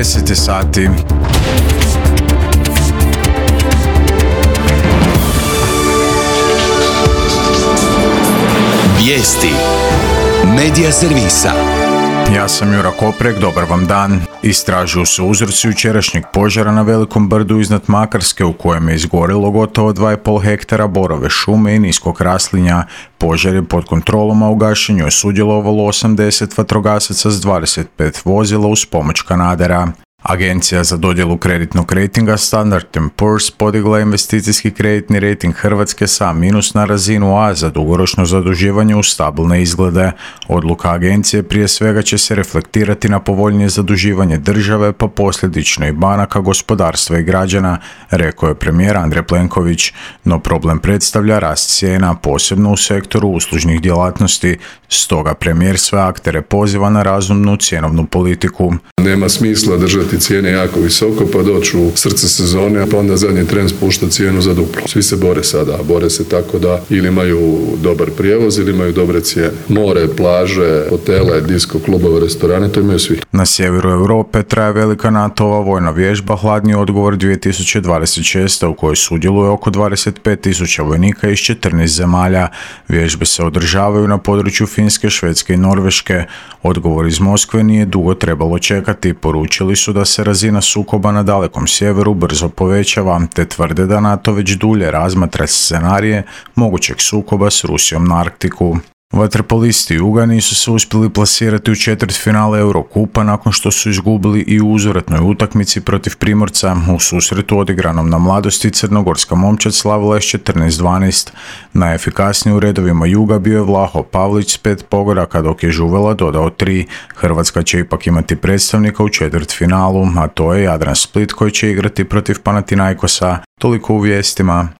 10 sati. Vijesti Medija servisa. Ja sam Jura Koprek, dobar vam dan. Istražuju se uzroci jučerašnjeg požara na Velikom brdu iznad Makarske u kojem je izgorilo gotovo 2,5 hektara borove šume i niskog raslinja. Požar je pod kontrolom, a u gašenju je sudjelovalo 80 vatrogasaca s 25 vozila uz pomoć kanadera. Agencija za dodjelu kreditnog rejtinga Standard & Poor's podigla investicijski kreditni rejting Hrvatske sa minus na razinu A za dugoročno zaduživanje u stabilne izglede. Odluka agencije prije svega će se reflektirati na povoljnije zaduživanje države, pa posljedično i banaka, gospodarstva i građana, rekao je premijer Andrej Plenković. No problem predstavlja rast cijena, posebno u sektoru uslužnih djelatnosti. Stoga premijer sve aktere poziva na razumnu cjenovnu politiku. Nema smisla držati cijene jako visoko pa doći u srce sezone, pa onda zadnji tren spušta cijenu za duplo. Svi se bore sada, bore se tako da ili imaju dobar prijevoz ili imaju dobre cijene. More, plaže, hotele, disko, klubove, restorane, to imaju svi. Na sjeveru Europe traje velika NATO-ova vojna vježba Hladni odgovor 2026. u kojoj sudjeluje oko 25.000 vojnika iz 14 zemalja. Vježbe se održavaju na području Finske, Švedske i Norveške. Odgovor iz Moskve nije dugo trebalo čekati. Poručili su da se razina sukoba na dalekom sjeveru brzo povećava, te tvrde da NATO već dulje razmatra scenarije mogućeg sukoba s Rusijom na Arktiku. Vaterpolisti Juga nisu se uspjeli plasirati u četvrtfinale Eurokupa nakon što su izgubili i u uzvratnoj utakmici protiv Primorca. U susretu odigranom na Mladosti crnogorska momčad slavila je s 14-12. Najefikasniji u redovima Juga bio je Vlaho Pavlić s 5 pogodaka, dok je Žuvela dodao 3. Hrvatska će ipak imati predstavnika u četvrtfinalu, a to je Jadran Split koji će igrati protiv Panathinaikosa. Toliko u vijestima.